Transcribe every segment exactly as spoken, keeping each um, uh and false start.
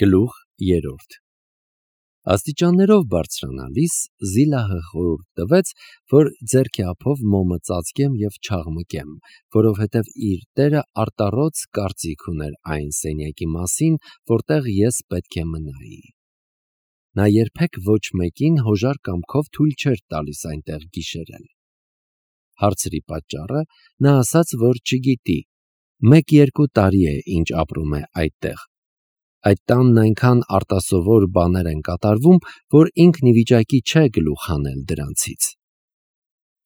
Գլուխ երրորդ Աստիճաններով բարձրանալիս Զիլահը խորհուրդ տվեց, որ ձեռքի ափով մոմը ծածկեմ և չաղմկեմ, որովհետև իր տերը արտառոց կարծիք ուներ այն սենյակի մասին, որտեղ ես պետք է մնայի։ Նա երբեք ոչ մեկին հոժար կամքով թույլ չէր տալիս այնտեղ գիշերել։ Հարցրի պատճառը, նա ասաց, որ չգիտի, մեկ-երկու տարի է, ինչ ապրում է այդտեղ։ Այդ տանն այնքան արտասովոր բաներ են կատարվում, որ ինքն ի վիճակի չէ գլուխ հանել դրանցից։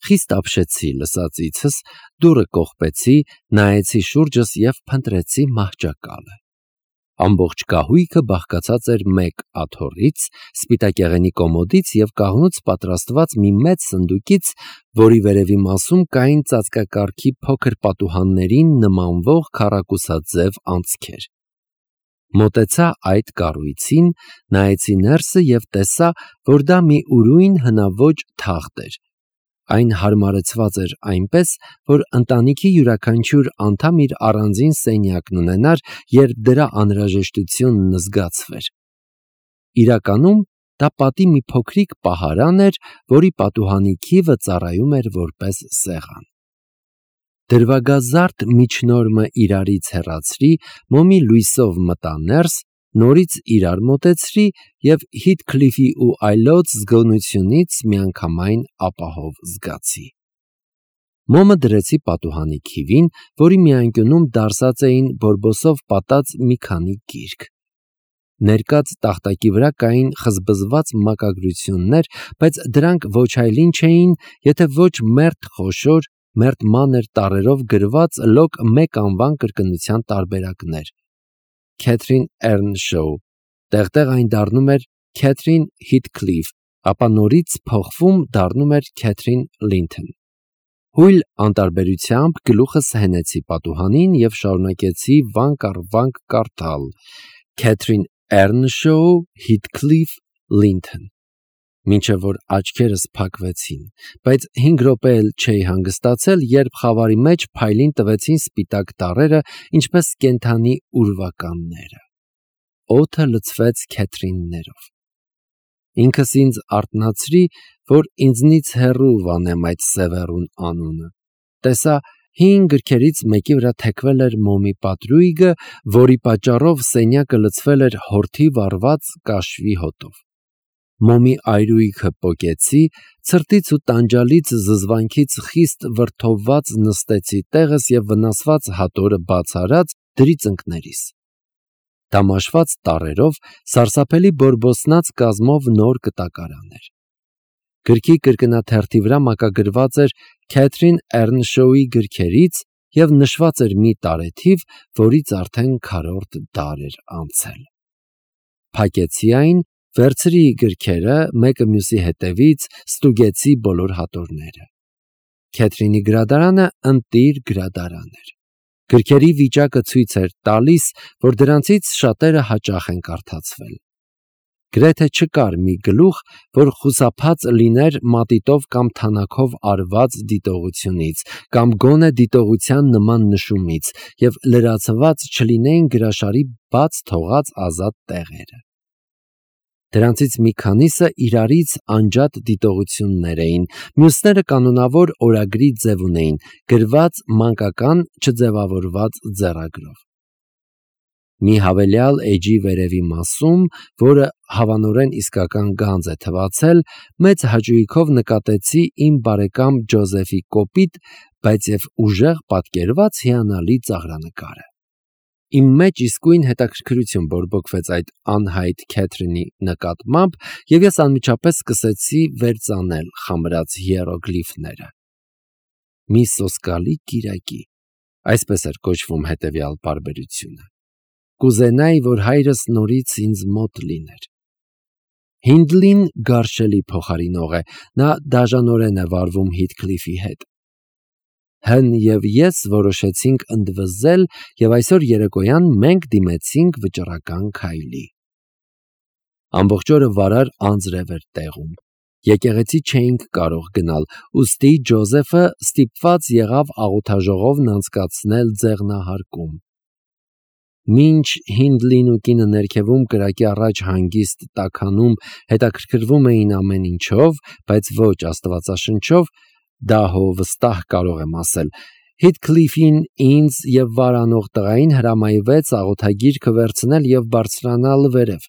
Խիստ ապշեցի լսածիցս, դուռը կողպեցի, նայեցի շուրջս և փնտրեցի մահճակալը։ Ամբողջ կահույքը բաղկացած էր մեկ աթոռից, սպիտակեղենի կոմոդից և կաղնուց պատրաստված մի մեծ սնդուկից, որի վերևի մասում կային ծածկակարգի փոքր պատուհաններին նմանվող քառակուսաձև անցքեր։ Մոտեցա այդ կառույցին, նայեցի ներսը և տեսա, որ դա մի ուրույն հնաոճ թախտ էր։ Այն հարմարեցված էր այնպես, որ ընտանիքի յուրաքանչյուր անդամ իր առանձին սենյակն ունենար, երբ դրա անհրաժեշտությունն զգացվեր։ Իրականում դա պատի մի փոքրիկ պահարան էր, որի պատուհանի քիվը ծառայում էր որպես սեղան։ Դրվագազարդ միջնորմը իրարից հեռացրի, մոմի լույսով մտա ներս, նորից իրար մոտեցրի և Հիթքլիֆի ու այլոց զգոնությունից միանգամայն ապահով զգացի։ Մոմը դրեցի պատուհանի քիվին, որի մի անկյունում դարսած էին բորբոսով պատած մի քանի գիրք։ Ներկած տախտակի վրա կային խզբզված մակագրություններ, բայց դրանք ոչ այլ ինչ էին, եթե ոչ մերթ խոշոր, մերթ մանր տառերով գրված լոկ մեկ անվան կրկնության տարբերակներ. Քեթրին Էռնշոու, տեղտեղ այն դառնում էր Քեթրին Հիթքլիֆ, ապա նորից փոխվում դառնում էր Քեթրին Լինթոն։ Հույլ անտարբերությամբ գլուխս հենեցի պատուհանին և շարունակեցի վանք առ վանք կարդալ. Քեթրին Էռնշոու, Հիթքլիֆ, Լինթոն, մինչև որ աչքերս փակվեցին, բայց հինգ րոպե էլ չէի հանգստացել, երբ խավարի մեջ փայլին տվեցին սպիտակ տառերը, ինչպես կենդանի ուրվականները։ Օդը լցվեց քեթրիններով։ Ինքս ինձ արթնացրի, որ ինձնից հեռու վանեմ այդ սևեռուն անունը։ Տեսա, հին գրքերից մեկի վրա թեքվել էր մոմի պատրույգը, որի պատճառով սենյակը լցվել էր հորթի վառված կաշվի հոտով։ Մոմի այրույգը պոկեցի, ցրտից ու տանջալից զզվանքից խիստ վրդովված նստեցի տեղս և վնասված հատորը բաց արած դրի ծնկներիս։ Դամաշված տառերով, սարսափելի բորբոսնած կազմով նոր կտակարան էր։ Գրքի կրկնաթերթի վրա մակագրված էր Քեթրին Էռնշոուի գրքերից և նշված էր մի տարեթիվ, որից արդեն քառորդ դար էր անցել։ Փակեցի այն, վերցրի գրքերը, մեկը մյուսի հետևից, ստուգեցի բոլոր հատորները։ Քեթրինի գրադարանը ընտիր գրադարան էր։ Գրքերի վիճակը ցույց էր տալիս, որ դրանցից շատերը հաճախ են կարդացվել։ Գրեթե չկար մի գլուխ, որ խուսափած լիներ մատիտով կամ թանաքով արված դիտողությունից, կամ գոնե դիտողության նման նշումից, և լրացված չլինեին գրաշարի բաց թողած ազատ տեղերը։ Դրանցից մի քանիսը իրարից անջատ դիտողություններ էին, մյուսները կանոնավոր օրագրի ձև ունեին, գրված մանկական չձևավորված ձեռագրով։ Մի հավելյալ էջի վերևի մասում, որը հավանորեն իսկական գանձ է թվացել, մեծ հաճույքով նկատեցի իմ բարեկամ Ջոզեֆի կոպիտ, բայց և ուժեղ պատկերված հիանալի ծաղրանկարը։ Իմ մեջ իսկույն հետաքրքրություն բորբոքվեց այդ անհայտ Քեթրինի նկատմամբ, և ես անմիջապես սկսեցի վերծանել խամրած հիերոգլիֆները։ Մի սոսկալի կիրակի, այսպես էր կոչվում հետևյալ պարբերությունը։ Կուզենայի, որ հայրս նորից ինձ մոտ լիներ։ Հինդլին գարշելի փոխարինող է, նա դաժանորեն է վարվում Հիթքլիֆի հետ։ Հն և ես որոշեցինք ընդվզել, և այսօր երեկոյան մենք դիմեցինք վճռական քայլի։ Ամբողջ օրը վարար անձրև էր տեղում։ Եկեղեցի չէինք կարող գնալ, ուստի Ջոզեֆը ստիպված եղավ աղոթաժողովն անցկացնել ձեղնահարկում։ Մինչ Հինդլին ու կինը ներքևում կրակի առաջ հանգիստ տաքանում հետաքրքրվում էին ամեն ինչով, բայց ոչ աստվածաշնչով, դա հո վստահ կարող եմ ասել, Հիթքլիֆին ինձ և վարանող տղային հրամայվեց աղոթագիրքը վերցնել և բարձրանալ վերև։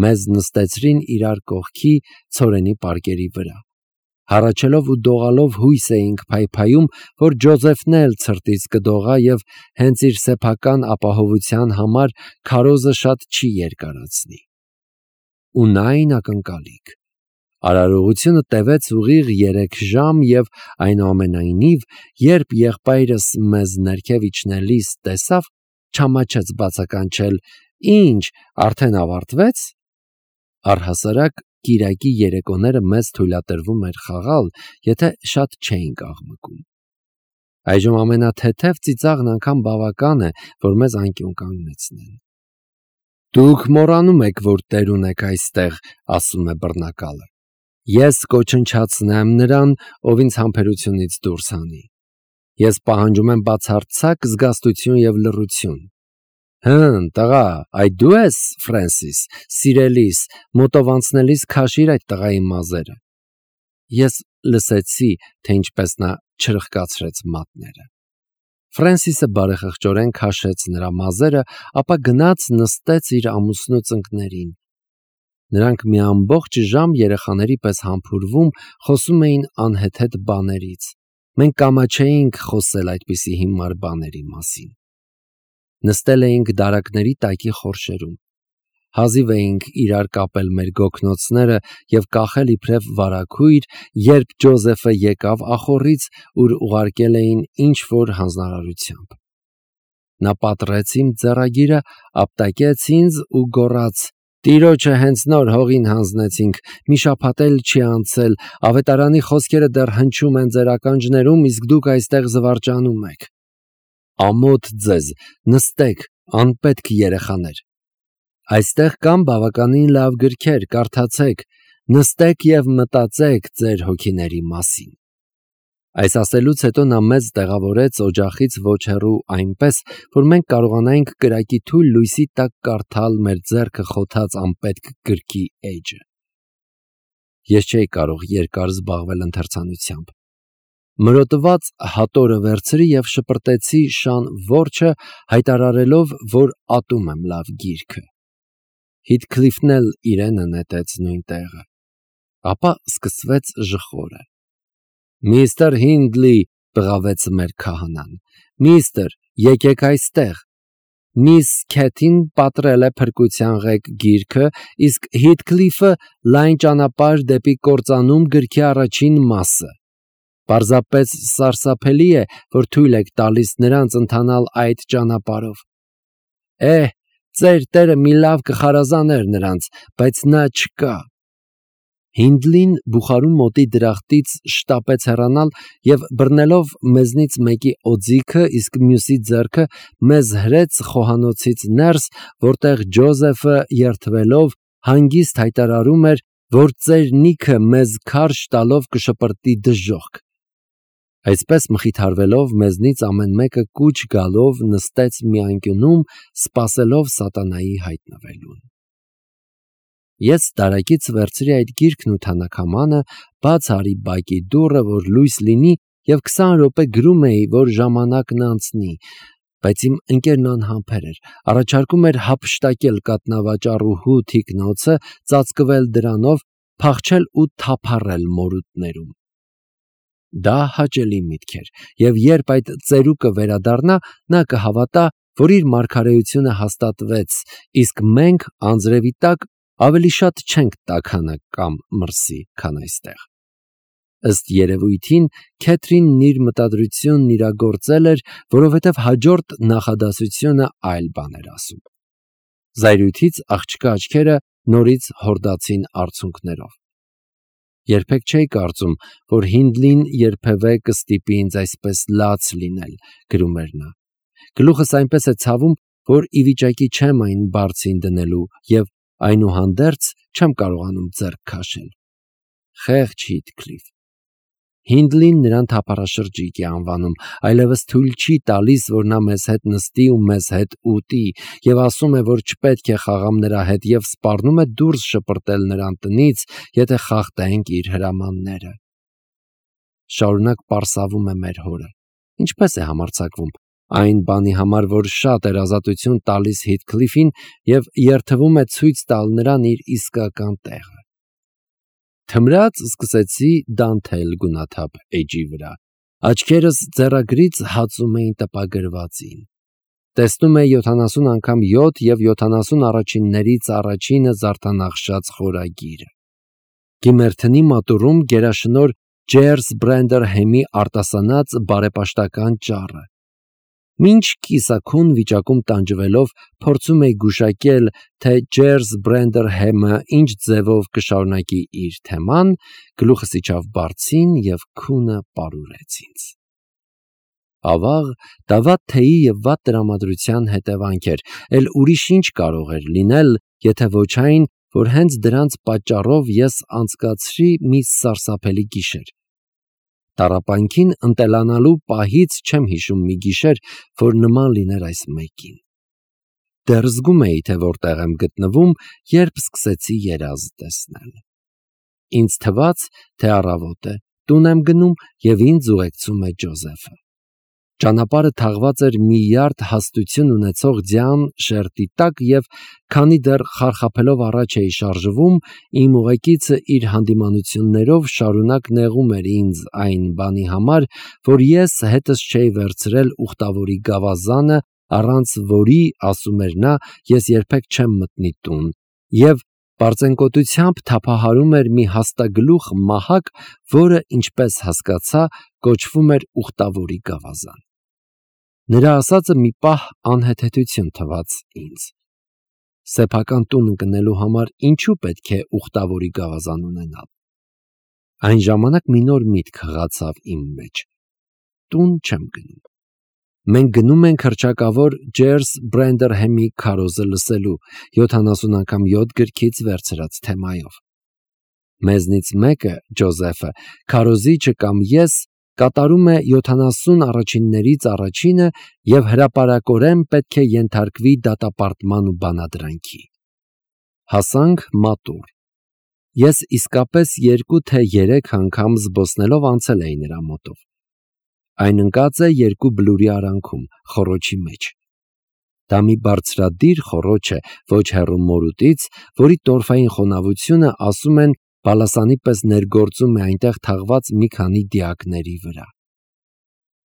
Մեզ նստեցրին իրար կողքի ցորենի պարկերի վրա։ Հառաչելով ու դողալով հույս էինք փայփայում, որ Ջոզեֆն էլ ցրտից կդողա և հենց իր սեփական ապահովության համար քարոզը շատ չի երկարացնի։ Ու նա այն ակնկալիք։ Արարողությունը տևեց ուղիղ երեք ժամ և այնուամենայնիվ, երբ եղբայրս մեզ ներքև իջնելիս տեսավ, չամաչեց բացականչել. «Ի՞նչ, արդեն ավարտվե՞ց»։ Առհասարակ կիրակի երեկոները մեզ թույլատրվում էր խաղալ, եթե շատ չէինք աղմկում։ Այժմ ամենաթեթև ծիծաղն անգամ բավական է, որ մեզ անկյուն կանգնեցնեն։ «Դուք մոռանում եք, որ տեր ունեք այստեղ», ասում է բռնակալը։ Ես կոչնչացնեմ նրան, ով ինձ համբերությունից դուրս հանի։ Ես պահանջում եմ բացարձակ զգաստություն և լռություն։ Հըմ, տղա, այդ դու ես, Ֆրենսիս, սիրելիս, մոտով անցնելիս քաշիր այդ տղայի մազերը։ Ես լսեցի, թե ինչպես նա չրխկացրեց մատները։ Ֆրենսիսը բարեխղճորեն քաշեց նրա մազերը, ապա գնաց նստեց իր ամուսնու ծնկներին։ Նրանք մի ամբողջ ժամ երեխաների պես համբուրվում, խոսում էին անհեթեթ բաներից։ Մենք կամաչեինք խոսել այդպիսի հիմար բաների մասին։ Նստել էինք դարակների տակի խորշերում։ Հազիվ էինք իրար կապել մեր գոգնոցները և կախել իբրև վարագույր, երբ Ջոզեֆը եկավ ախոռից, ուր ուղարկել էին ինչ-որ հանձնարարությամբ։ Նա պատռեց իմ ձեռագիրը, ապտակեց ինձ ու գոռաց. «Տիրոջը հենց նոր հողին հանձնեցինք, մի շաբաթ էլ չի անցել, ավետարանի խոսքերը դեռ հնչում են ձեր ականջներում, իսկ դուք այստեղ զվարճանում եք։ Ամոթ ձեզ, նստեք, անպետք երեխաներ։ Այստեղ կան բավականին լավ գրքեր, կարդացեք, նստեք և մտածեք ձեր հոգիների մասին»։ Այս ասելուց հետո նա մեզ տեղավորեց օջախից ոչ հեռու այնպես, որ մենք կարողանայինք կրակի թույլ լույսի տակ կարդալ մեր ձեռքը խոթած անպետք գրքի էջը։ Ես չէի կարող երկար զբաղվել ընթերցանությամբ։ Մրոտված հատորը վերցրի և շպրտեցի շան որջը, հայտարարելով, որ ատում եմ լավ գիրքը։ Հիթքլիֆն էլ իրենը նետեց նույն տեղը։ Ապա սկսվեց ժխորը։ «Միստր Հինդլի», բղավեց մեր քահանան, «միստր, եկեք այստեղ։ Միս Քեթին պատռել է փրկության ղեկ գիրքը, իսկ Հիթքլիֆը լայն ճանապարհ դեպի կործանում գրքի առաջին մասը։ Պարզապես սարսափելի է, որ թույլ եք տալիս նրանց ընթանալ այդ ճանապարհով։ Էհ, ծեր տերը մի լավ կխարազաներ նրանց, բայց նա չկա»։ Հինդլին բուխարու մոտի դրախտից շտապեց հեռանալ և բռնելով մեզնից մեկի օձիքը, իսկ մյուսի ձեռքը, մեզ հրեց խոհանոցից ներս, որտեղ Ջոզեֆը երդվելով հանգիստ հայտարարում էր, որ ծեր Նիքը մեզ քարշ տալով կշպրտի դժոխք։ Այսպես մխիթարվելով մեզնից ամեն մեկը կուչ գալով նստեց մի անկյունում, սպասելով սատանայի հայտնվելուն։ Ես դարակից վերցրի այդ գիրքն ու թանաքամանը, բաց արի բակի դուռը, որ լույս լինի, և քսան րոպե գրում էի, որ ժամանակն անցնի, բայց իմ ընկերն անհամբեր էր, առաջարկում էր հափշտակել կաթնավաճառուհու թիկնոցը, ծածկվել դրանով, փախչել ու թափառել մորուտներում։ Դա հաճելի միտք էր, և երբ այդ ծերուկը վերադառնա, նա կհավատա, որ իր մարգարեությունը հաստատվեց, իսկ մենք անձրևի տակ ավելի շատ չենք տաքանը կամ մրսի, քան այստեղ։ Ըստ երևույթին, Քեթրինն իր մտադրությունն իրագործել էր, որովհետև հաջորդ նախադասությունը այլ բան էր ասում։ Զայրույթից աղջկա աչքերը նորից հորդացին արցունքներով։ Երբեք չէի կարծում, որ Հինդլին երբևէ կստիպի ինձ այսպես լաց լինել, գրում էր նա։ Գլուխս այնպես է ցավում, որ ի վիճակի չեմ այն բարձին դնելու և այնուհանդերձ չեմ կարողանում ձեռք քաշել։ Խեղճ Հիթքլիֆ։ Հինդլին նրան թափառաշրջիկ է անվանում, այլևս թույլ չի տալիս, որ նա մեզ հետ նստի ու մեզ հետ ուտի, եւ ասում է, որ չպետք է խաղամ նրա հետ, եւ սպառնում է դուրս շպրտել նրան տնից, եթե խախտենք իր հրամանները։ Շարունակ պարսավում է մեր հորը։ Ինչպես է համարձակվում այն բանի համար, որ շատ էր ազատություն տալիս Հիթքլիֆին եւ երթվում է ցույց տալ նրան իր իսկական տեղը։ Թմրած սկսեցի դանթել գունաթափ էջի վրա։ Աչքերս ձեռագրից հացում էին տպագրվածին։ Տեսնում է յոթանասուն անգամ յոթ եւ յոթանասուն առաջիններից առաջինը զարդանախշած խորագիրը։ Գիմերթնի մատուրում գերաշնոր Ջերս Բրենդերհեմի արտասանած բարեպաշտական ճառը։ Մինչ կիսաքուն վիճակում տանջվելով փորձում էի գուշակել, թե Ջերս Բրենդերհեմը ինչ ձևով կշարունակի իր թեման, գլուխս իջավ բարձին եւ քունը պարուրեց ինձ։ Ավաղ դա վատ թեյի եւ վատ տրամադրության հետևանք էր, էլ ուրիշ ինչ կարող էր լինել, եթե ոչ այն, որ հենց դրանց պատճառով ես անցկացրի մի սարսափելի գիշեր։ Տառապանքին ընտելանալու պահից չեմ հիշում մի գիշեր, որ նման լիներ այս մեկին։ Դեռ զգում էի, թե որտեղ եմ գտնվում, երբ սկսեցի երազ տեսնել։ Ինձ թվաց, թե առավոտ է, տուն եմ գնում եւ ինձ ուղեկցում է Ջոզեֆը։ Ճանապարհը թաղված էր մի յարդ հաստություն ունեցող ձյան շերտի տակ եւ քանի դեռ խարխափելով առաջ էի շարժվում, իմ ուղեկիցը իր հանդիմանություններով շարունակ նեղում էր ինձ այն բանի համար, որ ես հետս չէի վերցրել ուխտավորի գավազանը, առանց որի, ասում էր նա, ես երբեք չեմ մտնի տուն, եւ պարծենկոտությամբ թափահարում էր մի հաստագլուխ մահակ, որը, ինչպես հասկացա, կոչվում էր ուխտավորի գավազան։ Նրա ասածը մի պահ անհեթեթություն թվաց ինձ։ Սեփական տուն ընկնելու համար ինչու պետք է ուխտավորի գավազան ունենալ։ Այն ժամանակ մի նոր միտք հղացավ իմ մեջ։ Տուն չեմ գնում։ Մենք գնում ենք հռչակավոր Ջերս Բրենդերհեմի քարոզը լսելու, յոթանասուն անգամ յոթ գրքից վերցրած թեմայով։ Մեզնից մեկը, Ջոզեֆը, քարոզիչը կամ ես, կատարում է յոթանասուն առաջիններից առաջինը եւ հրապարակորեն պետք է ենթարկվի դատապարտման ու բանադրանքի։ Հասանք մատուռ։ Ես իսկապես երկու թե երեք անգամ զբոսնելով անցել էի նրա մոտով։ Այն ընկած է երկու բլուրի արանքում, խոռոչի մեջ։ Դա մի բարձրադիր խոռոչ է, ոչ հեռու մորուտից, որի տորֆային խոնավությունը, ասում են, բալասանի պես ներգործում է այնտեղ թաղված մի քանի դիակների վրա։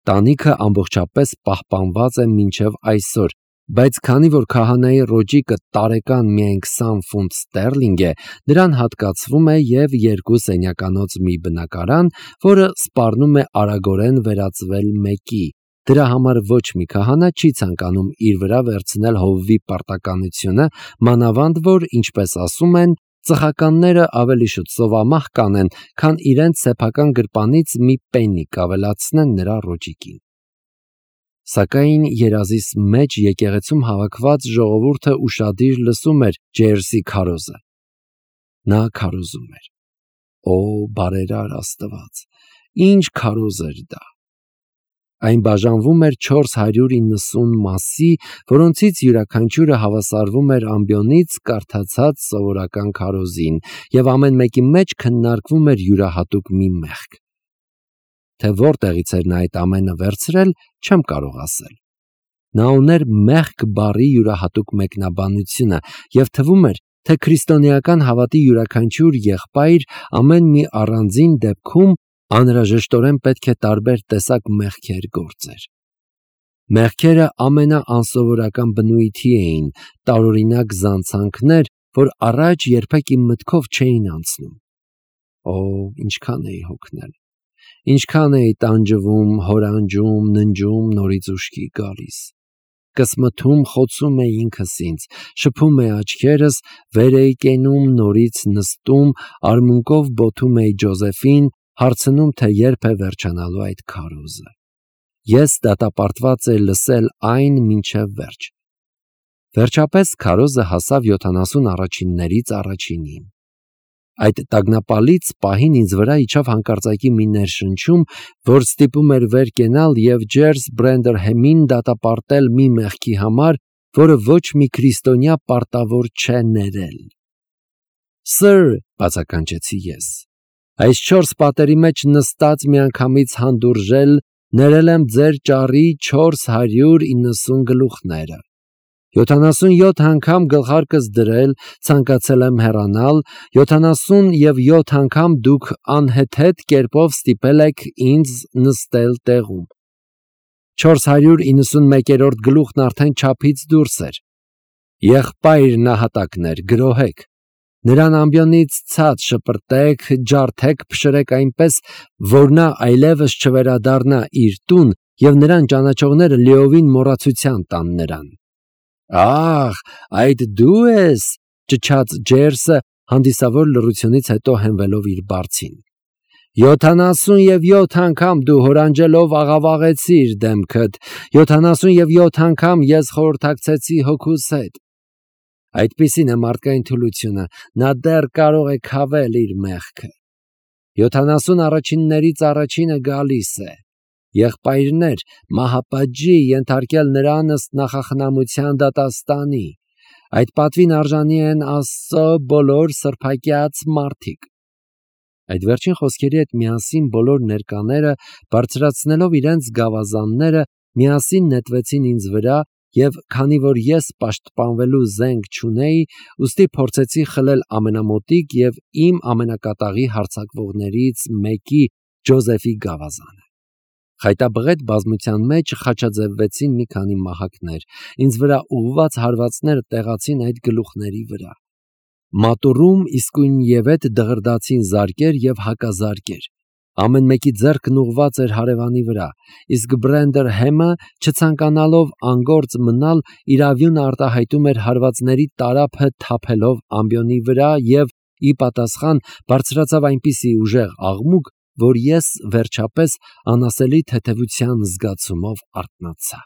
Տանիքը ամբողջապես պահպանված է մինչև այսօր, բայց քանի որ քահանայի ռոճիկը տարեկան միայն քսան ֆունտ ստերլինգ է, նրան հատկացվում է եւ երկու սենյականոց մի բնակարան, որը սպառնում է արագորեն վերածվել մեկի։ Դրա համար ոչ մի քահանա չի ցանկանում իր վրա վերցնել հովվի պարտականությունը, մանավանդ որ, ինչպես ասում են, ծխականները ավելի շուտ սովամահ կանեն, քան իրենց սեփական գրպանից մի պեննիկ ավելացնեն նրա ռոճիկին։ Սակայն երազիս մեջ եկեղեցում հավաքված ժողովուրդը ուշադիր լսում էր Ջերսի քարոզը։ Նա քարոզում էր։ Օ, բարերար Աստված, ինչ քարոզ էր դա։ Այն բաժանվում էր չորս հարյուր իննսուն մասի, որոնցից յուրաքանչյուրը հավասարվում էր ամբիոնից կարդացած սովորական քարոզին, եւ ամեն մեկի մեջ քննարկվում էր յուրահատուկ մի մեղք։ Թե որտեղից էր նա այդ ամենը վերցրել, չեմ կարող ասել։ Նա ուներ մեղք բառի յուրահատուկ մեկնաբանությունը եւ թվում էր, թե քրիստոնեական հավատի յուրաքանչյուր եղբայր ամեն մի առանձին դեպքում անհրաժեշտորեն պետք է տարբեր տեսակ մեղքեր գործեր։ Մեղքերը ամենաանսովորական բնույթի էին, տարօրինակ զանցանքներ, որ առաջ երբեք իմ մտքով չէին անցնում։ Օ, ինչքան էի հոգնել, ինչքան էի տանջվում, հորանջում, ննջում, նորից ուշքի գալիս։ Կսմթում խոցում էի ինքս ինձ, շփում էի աչքերս, վեր էի կենում, նորից նստում, արմունկով բոթում էի Ջոզեֆին, հարցնում, թե երբ է վերջանալու այդ քարոզը։ Ես դատապարտված էի լսել այն մինչև վերջ։ Վերջապես քարոզը հասավ յոթանասուն առաջիններից առաջինին։ Այդ տագնապալից պահին ինձ վրա իջավ հանկարծակի մի ներշնչում, որ ստիպում էր վեր կենալ և Ջերս Բրենդերհեմին դատապարտել մի մեղքի համար, որը ոչ մի քրիստոնյա պարտավոր չէ ներել։ «Սըր», բացականչեցի ես, «այս չորս պատերի մեջ նստած միանգամից հանդուրժել ներել եմ ձեր ճառի չորս հարյուր իննսուն գլուխները։ Յոթանասունյոթ անգամ գլխարկս դրել, ցանկացել եմ հեռանալ, յոթանասուն և յոթ անգամ դուք անհեթեթ կերպով ստիպել եք ինձ նստել տեղում։ Չորս հարյուր իննսունմեկերորդ գլուխն արդեն չափից դուրս էր։ Եղբայր նահատակներ, գրոհեք, նրան ամբիոնից ցած շպրտեք, ջարդեք, փշրեք այնպես, որ նա այլևս չվերադառնա իր տուն և նրան ճանաչողները լիովին մոռացության տան նրան»։ «Ա՜խ, այդ դու ես», ճչաց Ջերսը հանդիսավոր լռությունից հետո հենվելով իր բարձին։ «Յոթանասուն և յոթ անգամ դու հորանջելով աղավաղեցիր դեմքդ, յոթանասուն և յոթ անգամ ես խորհրդակցեցի հոգուս հետ։ Այդպիսին է մարդկային թուլությունը, նա դեռ կարող է քավել իր մեղքը։ Յոթանասուն առաջիններից առաջինը գալիս է։ Եղբայրներ, մահապատժի ենթարկել նրան ըստ նախախնամության դատաստանի։ Այդ պատվին արժանի են Աստծո բոլոր սրբակյաց մարդիկ»։ Այդ վերջին խոսքերի հետ միասին բոլոր ներկաները, բարձրացնելով իրենց գավազանները, միասին նետվեցին ինձ վրա, և քանի որ ես պաշտպանվելու զենք չունեի, ուստի փորձեցի խլել ամենամոտիկ և իմ ամենակատաղի հարձակվողներից մեկի՝ Ջոզեֆի գավազանը։ Խայտաբղետ բազմության մեջ խաչաձևվեցին մի քանի մահակներ, ինձ վրա ուղղված հարվածները տեղացին այդ գլուխների վրա։ Մատուռում իսկույնևեթ դղրդացին զարկեր և հակազարկեր։ Ամեն մեկի ձեռքն ուղղված էր հարևանի վրա, իսկ Բրենդերհեմը, չցանկանալով անգործ մնալ, իրավյունը արտահայտում էր հարվածների տարափը թափելով ամբիոնի վրա և, ի պատասխան, բարձրացավ այնպիսի ուժեղ աղմուկ, որ ես, վերջապես, անասելի թեթևության զգացումով արթնացա։